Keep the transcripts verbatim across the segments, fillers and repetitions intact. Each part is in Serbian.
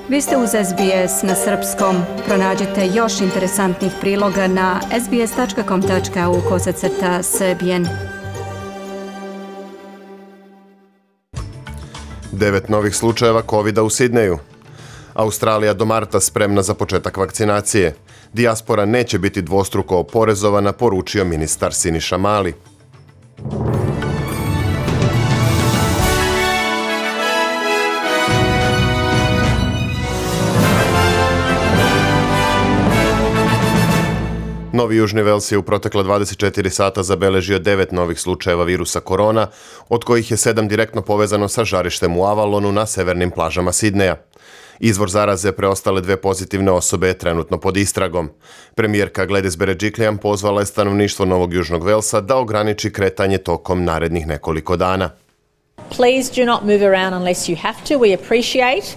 Vi ste uz S B S na srpskom. Pronađite još interesantnih priloga na sbs.com.au kosacrta srbijen. Devet novih slučajeva kovida u Sidneju. Australija do marta spremna za početak vakcinacije. Dijaspora neće biti dvostruko oporezovana, poručio ministar Siniša Mali. Novi Južni Vels je u protekla dvadeset četiri sata zabeležio devet novih slučajeva virusa korona, od kojih je sedam direktno povezano sa žarištem u Avalonu na severnim plažama Sidneja. Izvor zaraze preostale dve pozitivne osobe je trenutno pod istragom. Premijerka Gladys Berejiklian pozvala je stanovništvo Novog Južnog Velsa da ograniči kretanje tokom narednih nekoliko dana. Please do not move around unless you have to. We appreciate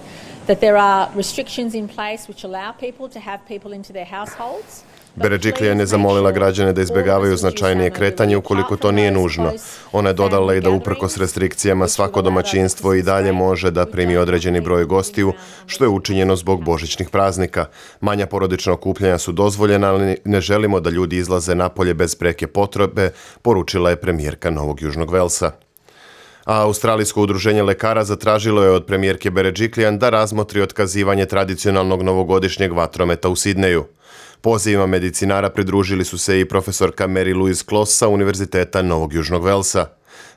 that there are restrictions in place which allow people to have people into their households. Berejiklian je zamolila građane da izbjegavaju značajnije kretanje ukoliko to nije nužno. Ona je dodala i da uprkos restrikcijama svako domaćinstvo i dalje može da primi određeni broj gostiju, što je učinjeno zbog božićnih praznika. Manja porodična okupljanja su dozvoljena, ali ne želimo da ljudi izlaze napolje bez preke potrebe, poručila je premijerka Novog Južnog Velsa. A Australijsko udruženje lekara zatražilo je od premijerke Berejiklian da razmotri otkazivanje tradicionalnog novogodišnjeg vatrometa u Sidneju. Pozivima medicinara pridružili su se i profesorka Mary Louise Closs sa Univerziteta Novog Južnog Velsa.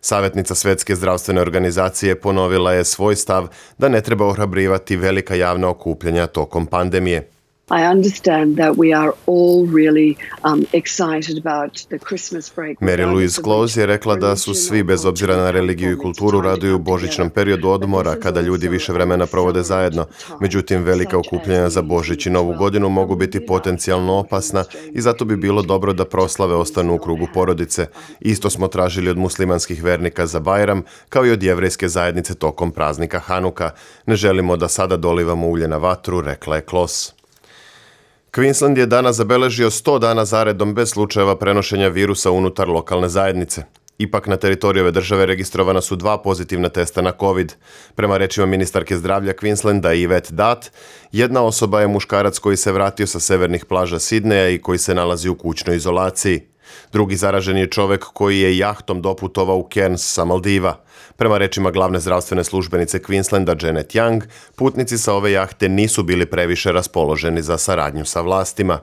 Savjetnica Svjetske zdravstvene organizacije ponovila je svoj stav da ne treba ohrabrivati velika javna okupljanja tokom pandemije. I understand that we are all really um, excited about the Christmas break. Mary Louise Closs je rekla da su svi, bez obzira na religiju i kulturu, raduju božićnom periodu odmora kada ljudi više vremena provode zajedno. Međutim, velika okupljanja za Božić i Novu godinu mogu biti potencijalno opasna i zato bi bilo dobro da proslave ostanu u krugu porodice. Isto smo tražili od muslimanskih vernika za Bajram, kao i od jevrejske zajednice tokom praznika Hanuka. Ne želimo da sada dolivamo ulje na vatru, rekla je Closs. Queensland je danas zabeležio sto dana zaredom bez slučajeva prenošenja virusa unutar lokalne zajednice. Ipak na teritoriju ove države registrovana su dva pozitivna testa na COVID. Prema rečima ministarke zdravlja Queenslanda Yvette Dutt, jedna osoba je muškarac koji se vratio sa severnih plaža Sidneja i koji se nalazi u kućnoj izolaciji. Drugi zaražen je čovjek koji je jahtom doputovao u Cairns sa Maldiva. Prema rečima glavne zdravstvene službenice Queenslanda Janet Young, putnici sa ove jahte nisu bili previše raspoloženi za saradnju sa vlastima.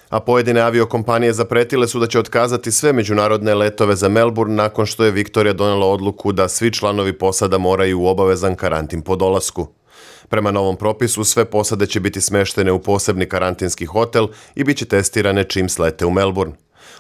A pojedine aviokompanije zapretile su da će otkazati sve međunarodne letove za Melbourne nakon što je Viktorija donela odluku da svi članovi posada moraju u obavezan karantin po dolasku. Prema novom propisu, sve posade će biti smeštene u posebni karantinski hotel i bit će testirane čim slete u Melbourne.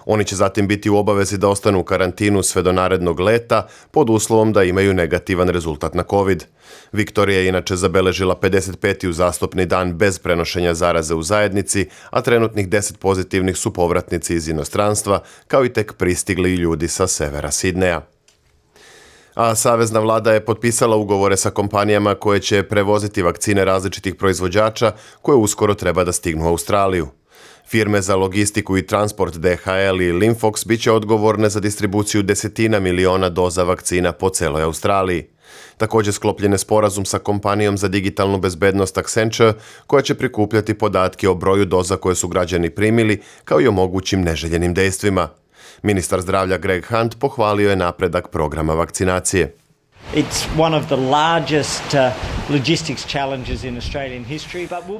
Oni će zatim biti u obavezi da ostanu u karantinu sve do narednog leta pod uslovom da imaju negativan rezultat na COVID. Viktorija je inače zabeležila pedeset peti uzastopni dan bez prenošenja zaraze u zajednici, a trenutnih deset pozitivnih su povratnici iz inostranstva, kao i tek pristigli ljudi sa severa Sidneja. A savezna vlada je potpisala ugovore sa kompanijama koje će prevoziti vakcine različitih proizvođača koje uskoro treba da stignu u Australiju. Firme za logistiku i transport D H L i Linfox bit će odgovorne za distribuciju desetina miliona doza vakcina po celoj Australiji. Također sklopljen je sporazum sa kompanijom za digitalnu bezbednost Accenture, koja će prikupljati podatke o broju doza koje su građani primili, kao i o mogućim neželjenim dejstvima. Ministar zdravlja Greg Hunt pohvalio je napredak programa vakcinacije.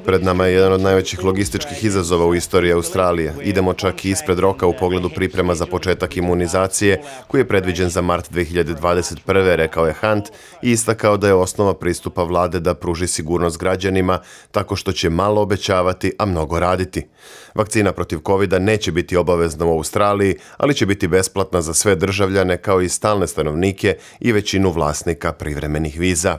Pred nama je jedan od najvećih logističkih izazova u istoriji Australije. Idemo čak i ispred roka u pogledu priprema za početak imunizacije, koji je predviđen za mart dve hiljade dvadeset prve, rekao je Hunt i istakao da je osnova pristupa vlade da pruži sigurnost građanima tako što će malo obećavati, a mnogo raditi. Vakcina protiv kovida neće biti obavezna u Australiji, ali će biti besplatna za sve državljane kao i stalne stanovnike i većinu vlasnika privremenih viza.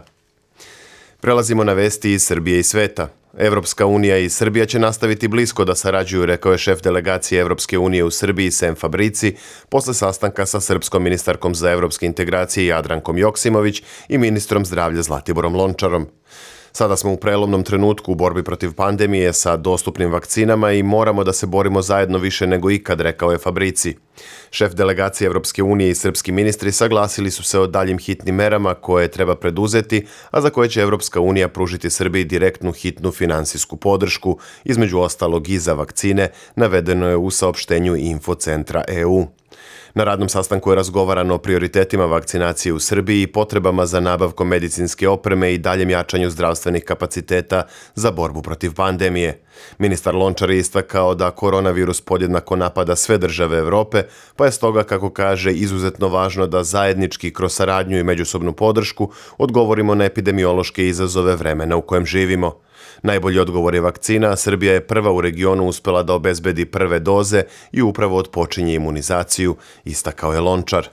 Prelazimo na vesti iz Srbije i sveta. Evropska unija i Srbija će nastaviti blisko da sarađuju, rekao je šef delegacije Evropske unije u Srbiji Sem Fabrici posle sastanka sa srpskom ministarkom za evropske integracije Jadrankom Joksimović i ministrom zdravlja Zlatiborom Lončarom. Sada smo u prelomnom trenutku u borbi protiv pandemije sa dostupnim vakcinama i moramo da se borimo zajedno više nego ikad, rekao je Fabrici. Šef delegacije Evropske unije i srpski ministri saglasili su se o daljim hitnim merama koje treba preduzeti, a za koje će Evropska unija pružiti Srbiji direktnu hitnu finansijsku podršku, između ostalog i za vakcine, navedeno je u saopštenju Infocentra E U. Na radnom sastanku je razgovarano o prioritetima vakcinacije u Srbiji i potrebama za nabavkom medicinske opreme i daljem jačanju zdravstvenih kapaciteta za borbu protiv pandemije. Ministar Lončar je istakao da koronavirus podjednako napada sve države Evrope, pa je stoga, kako kaže, izuzetno važno da zajednički kroz saradnju i međusobnu podršku odgovorimo na epidemiološke izazove vremena u kojem živimo. Najbolji odgovor je vakcina, a Srbija je prva u regionu uspela da obezbedi prve doze i upravo otpočinje imunizaciju, istakao je Lončar.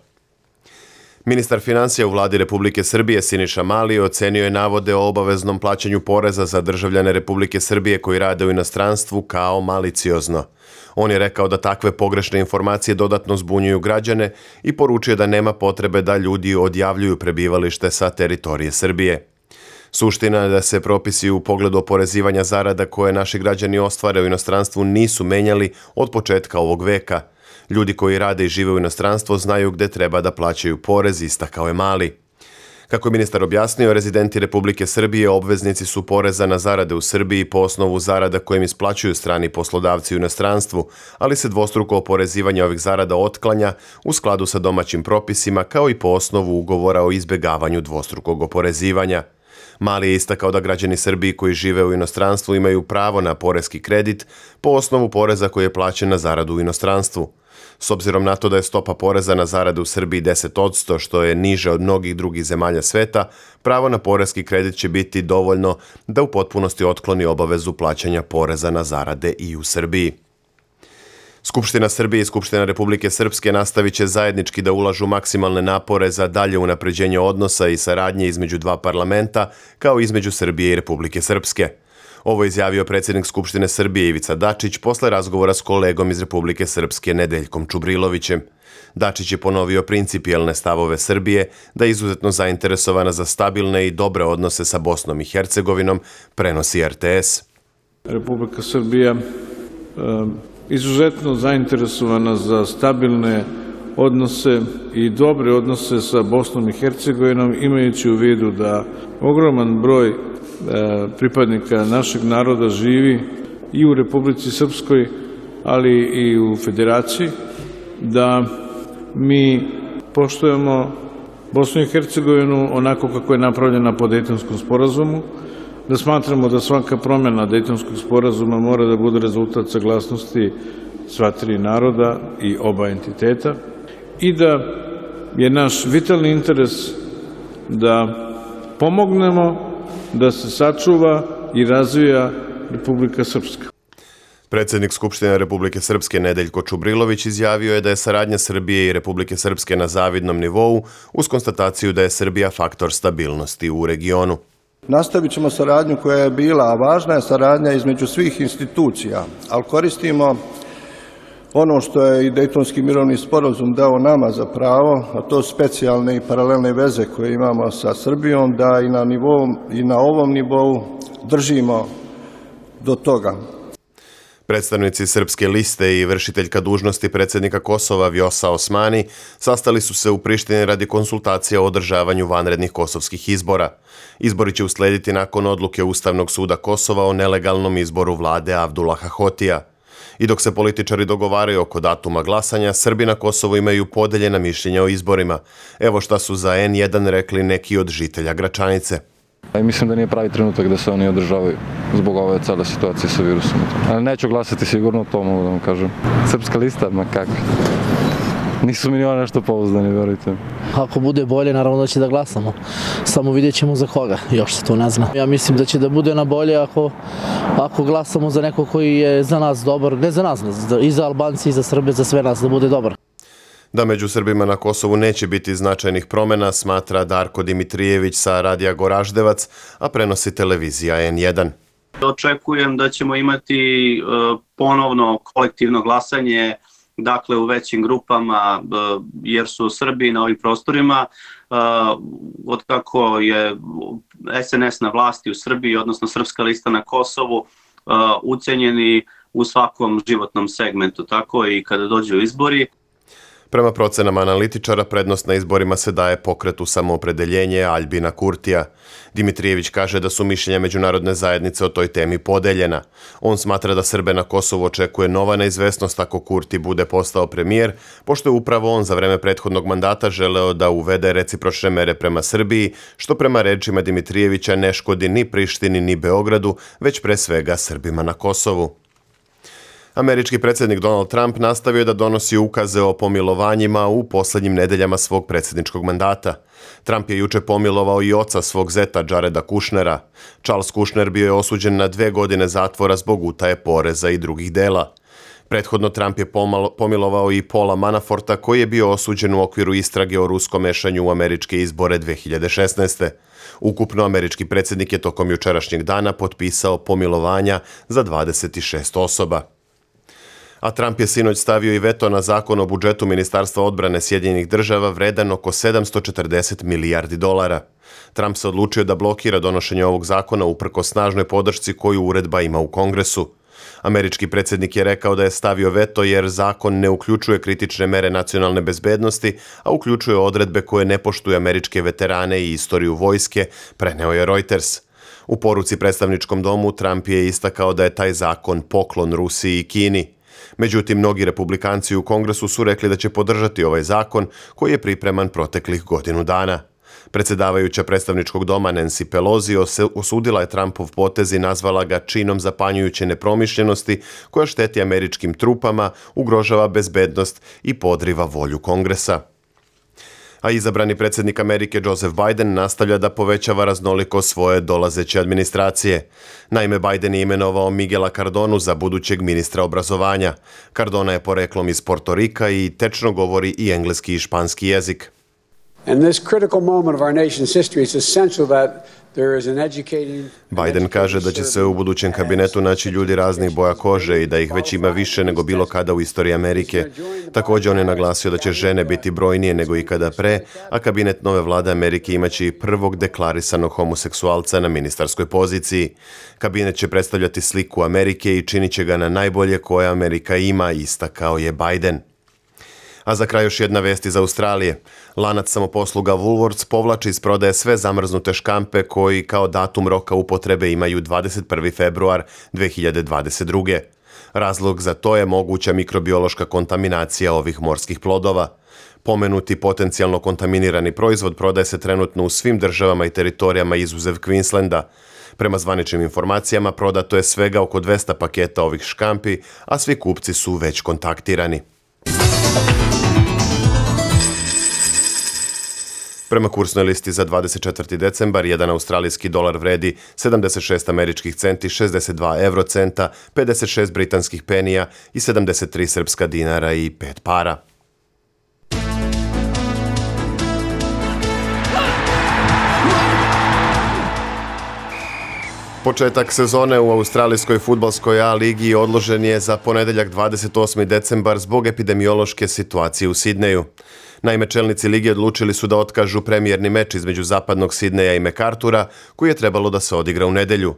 Ministar finansija u vladi Republike Srbije Siniša Mali ocenio je navode o obaveznom plaćanju poreza za državljane Republike Srbije koji rade u inostranstvu kao maliciozno. On je rekao da takve pogrešne informacije dodatno zbunjuju građane i poručio da nema potrebe da ljudi odjavljuju prebivalište sa teritorije Srbije. Suština je da se propisi u pogledu oporezivanja zarada koje naši građani ostvare u inostranstvu nisu menjali od početka ovog veka. Ljudi koji rade i žive u inostranstvu znaju gde treba da plaćaju porez, istakao je Mali. Kako je ministar objasnio, rezidenti Republike Srbije obveznici su poreza na zarade u Srbiji po osnovu zarada kojim isplaćuju strani poslodavci u inostranstvu, ali se dvostruko oporezivanje ovih zarada otklanja u skladu sa domaćim propisima kao i po osnovu ugovora o izbegavanju dvostrukog oporezivanja. Mali je istakao da građani Srbije koji žive u inostranstvu imaju pravo na poreski kredit po osnovu poreza koji je plaćen na zaradu u inostranstvu. S obzirom na to da je stopa poreza na zaradu u Srbiji deset posto, što je niže od mnogih drugih zemalja sveta, pravo na poreski kredit će biti dovoljno da u potpunosti otkloni obavezu plaćanja poreza na zarade i u Srbiji. Skupština Srbije i Skupština Republike Srpske nastavit će zajednički da ulažu maksimalne napore za dalje unapređenje odnosa i saradnje između dva parlamenta, kao i između Srbije i Republike Srpske. Ovo je izjavio predsjednik Skupštine Srbije Ivica Dačić posle razgovora s kolegom iz Republike Srpske Nedeljkom Čubrilovićem. Dačić je ponovio principijelne stavove Srbije da je izuzetno zainteresovana za stabilne i dobre odnose sa Bosnom i Hercegovinom, prenosi R T S. Republika Srbija izuzetno zainteresovana za stabilne odnose i dobre odnose sa Bosnom i Hercegovinom, imajući u vidu da ogroman broj pripadnika našeg naroda živi i u Republici Srpskoj, ali i u Federaciji, da mi poštujemo Bosnu i Hercegovinu onako kako je napravljena po Dejtonskom sporazumu, da smatramo da svaka promjena Dejtonskog sporazuma mora da bude rezultat saglasnosti sva tri naroda i oba entiteta i da je naš vitalni interes da pomognemo da se sačuva i razvija Republika Srpska. Predsjednik Skupštine Republike Srpske Nedeljko Čubrilović izjavio je da je saradnja Srbije i Republike Srpske na zavidnom nivou uz konstataciju da je Srbija faktor stabilnosti u regionu. Nastavit ćemo saradnju koja je bila, a važna je saradnja između svih institucija, ali koristimo ono što je i Dejtonski mirovni sporazum dao nama za pravo, a to specijalne i paralelne veze koje imamo sa Srbijom, da i na, nivou, i na ovom nivou držimo do toga. Predstavnici Srpske liste i vršiteljka dužnosti predsjednika Kosova Vjosa Osmani sastali su se u Prištini radi konsultacija o održavanju vanrednih kosovskih izbora. Izbori će uslediti nakon odluke Ustavnog suda Kosova o nelegalnom izboru vlade Avdulaha Hotija. I dok se političari dogovaraju oko datuma glasanja, Srbi na Kosovu imaju podeljena mišljenja o izborima. Evo šta su za N jedan rekli neki od žitelja Gračanice. Mislim da nije pravi trenutak da se oni održavaju zbog ove cele situacije sa virusom. Ali neću glasati sigurno, to mogu da vam kažem. Srpska lista, ma kako. Nisu mi ni ono nešto pouzdani, verujte. Ako bude bolje, naravno da će da glasamo. Samo vidjet ćemo za koga, još se to ne zna. Ja mislim da će da bude na bolje ako, ako glasamo za neko koji je za nas dobar, ne za nas, i za Albanci, i za Srbe, za sve nas da bude dobar. Da među Srbima na Kosovu neće biti značajnih promjena, smatra Darko Dimitrijević sa Radija Goraždevac, a prenosi televizija N jedan. Očekujem da ćemo imati ponovno kolektivno glasanje, dakle u većim grupama, jer su Srbi na ovim prostorima, od kako je S N S na vlasti u Srbiji, odnosno Srpska lista na Kosovu, ucenjeni u svakom životnom segmentu, tako i kada dođu izbori. Prema procenama analitičara, prednost na izborima se daje pokretu Samoopredeljenje Aljbina Kurtija. Dimitrijević kaže da su mišljenja međunarodne zajednice o toj temi podeljena. On smatra da Srbe na Kosovu očekuje nova neizvesnost ako Kurti bude postao premijer, pošto je upravo on za vreme prethodnog mandata želeo da uvede recipročne mere prema Srbiji, što prema rečima Dimitrijevića ne škodi ni Prištini ni Beogradu, već pre svega Srbima na Kosovu. Američki predsjednik Donald Trump nastavio je da donosi ukaze o pomilovanjima u posljednjim nedeljama svog predsjedničkog mandata. Trump je juče pomilovao i oca svog zeta Jareda Kushnera. Charles Kushner bio je osuđen na dve godine zatvora zbog utaje poreza i drugih dela. Prethodno Trump je pomilovao i Paula Manaforta, koji je bio osuđen u okviru istrage o ruskom mešanju u američke izbore dve hiljade šesnaeste. Ukupno američki predsjednik je tokom jučerašnjeg dana potpisao pomilovanja za dvadeset šest osoba. A Trump je sinoć stavio i veto na zakon o budžetu Ministarstva odbrane Sjedinjenih država vredan oko sedamsto četrdeset milijardi dolara. Trump se odlučio da blokira donošenje ovog zakona uprkos snažnoj podršci koju uredba ima u Kongresu. Američki predsjednik je rekao da je stavio veto jer zakon ne uključuje kritične mere nacionalne bezbednosti, a uključuje odredbe koje ne poštuju američke veterane i istoriju vojske, preneo je Reuters. U poruci predstavničkom domu Trump je istakao da je taj zakon poklon Rusiji i Kini. Međutim, mnogi republikanci u Kongresu su rekli da će podržati ovaj zakon koji je pripreman proteklih godinu dana. Predsjedavajuća predstavničkog doma Nancy Pelosi osudila je Trumpov potez i nazvala ga činom zapanjujuće nepromišljenosti koja šteti američkim trupama, ugrožava bezbednost i podriva volju Kongresa. A izabrani predsjednik Amerike Joseph Biden nastavlja da povećava raznoliko svoje dolazeće administracije. Naime, Biden je imenovao Miguela Cardonu za budućeg ministra obrazovanja. Cardona je poreklom iz Portorika i tečno govori i engleski i španski jezik. Biden kaže da će se u budućem kabinetu naći ljudi raznih boja kože i da ih već ima više nego bilo kada u istoriji Amerike. Također on je naglasio da će žene biti brojnije nego ikada pre, a kabinet nove vlade Amerike imaće i prvog deklarisanog homoseksualca na ministarskoj poziciji. Kabinet će predstavljati sliku Amerike i činit će ga na najbolje koje Amerika ima, istakao je Biden. A za kraj još jedna vest iz Australije. Lanac samoposluga Woolworths povlači iz prodaje sve zamrznute škampe koji kao datum roka upotrebe imaju dvadeset prvi februar dve hiljade dvadeset druge. Razlog za to je moguća mikrobiološka kontaminacija ovih morskih plodova. Pomenuti potencijalno kontaminirani proizvod prodaje se trenutno u svim državama i teritorijama izuzev Queenslanda. Prema zvaničnim informacijama prodato je svega oko dvesta paketa ovih škampi, a svi kupci su već kontaktirani. Prema kursnoj listi za dvadeset četvrti decembar, jedan australijski dolar vredi sedamdeset šest američkih centi, šezdeset dva eurocenta, pedeset šest britanskih penija i sedamdeset tri srpska dinara i pet para. Početak sezone u australijskoj fudbalskoj A ligi odložen je za ponedeljak dvadeset osmi decembar zbog epidemiološke situacije u Sidneju. Naime, čelnici lige odlučili su da otkažu premijerni meč između zapadnog Sidneja i Mekartura, koji je trebalo da se odigra u nedelju.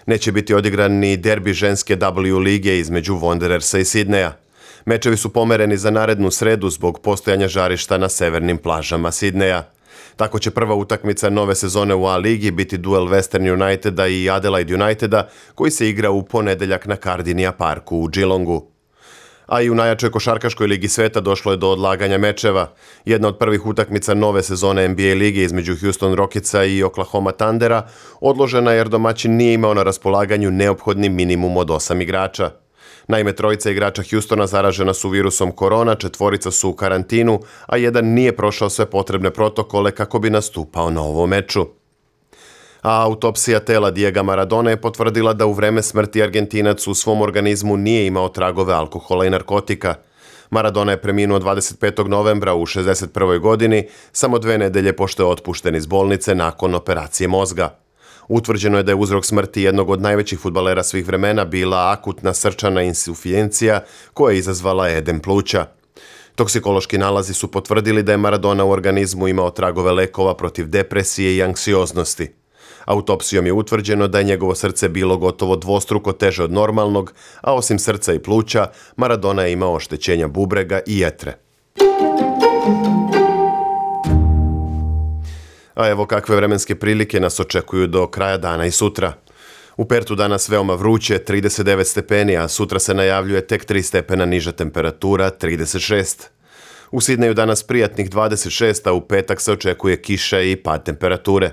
Neće biti odigran ni derbi ženske W lige između Wanderersa i Sidneja. Mečevi su pomereni za narednu sredu zbog postojanja žarišta na severnim plažama Sidneja. Tako će prva utakmica nove sezone u A ligi biti duel Western Uniteda i Adelaide Uniteda, koji se igra u ponedeljak na Kardinia parku u Geelongu. A i u najjačoj košarkaškoj ligi sveta došlo je do odlaganja mečeva. Jedna od prvih utakmica nove sezone N B A lige između Houston Rocketsa i Oklahoma Thundera odložena jer domaćin nije imao na raspolaganju neophodni minimum od osam igrača. Naime, trojica igrača Houstona zaražena su virusom korona, četvorica su u karantinu, a jedan nije prošao sve potrebne protokole kako bi nastupao na ovom meču. A autopsija tela Diega Maradona je potvrdila da u vreme smrti Argentinac u svom organizmu nije imao tragove alkohola i narkotika. Maradona je preminuo dvadeset petog novembra u šezdeset prvoj godini, samo dve nedelje pošto je otpušten iz bolnice nakon operacije mozga. Utvrđeno je da je uzrok smrti jednog od najvećih fudbalera svih vremena bila akutna srčana insuficijencija koja je izazvala edem pluća. Toksikološki nalazi su potvrdili da je Maradona u organizmu imao tragove lekova protiv depresije i anksioznosti. Autopsijom je utvrđeno da je njegovo srce bilo gotovo dvostruko teže od normalnog, a osim srca i pluća, Maradona je imao oštećenja bubrega i jetre. A evo kakve vremenske prilike nas očekuju do kraja dana i sutra. U Pertu danas veoma vruće, trideset devet stepeni, a sutra se najavljuje tek tri stepena niža temperatura, trideset šest. U Sidneju danas prijatnih dvadeset šest, a u petak se očekuje kiša i pad temperature.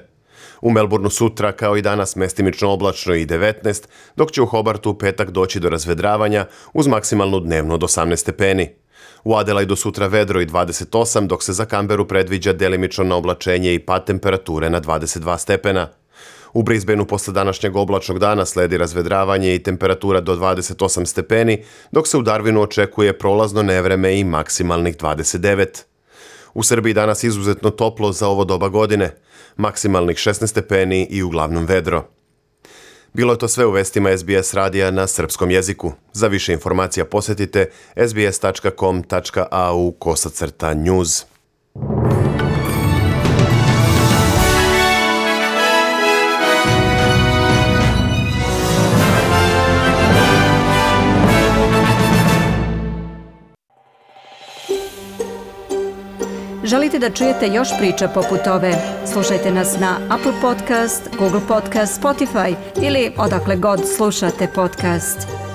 U Melbourneu sutra, kao i danas, mestimično oblačno i devetnaest, dok će u Hobartu u petak doći do razvedravanja uz maksimalnu dnevnu od osamnaest stepeni. U Adelaidu sutra vedro i dvadeset osam, dok se za Canberu predviđa delimično na oblačenje i pad temperature na dvadeset dva stepena. U Brisbaneu posle današnjeg oblačnog dana sledi razvedravanje i temperatura do dvadeset osam stepeni, dok se u Darwinu očekuje prolazno nevreme i maksimalnih dvadeset devet. U Srbiji danas izuzetno toplo za ovo doba godine, maksimalnih šesnaest stepeni i uglavnom vedro. Bilo je to sve u vestima S B S radija na srpskom jeziku. Za više informacija posjetite s b s tačka com tačka a u kosacrta news. Želite da čujete još priča poput ove? Slušajte nas na Apple Podcast, Google Podcast, Spotify ili odakle god slušate podcast.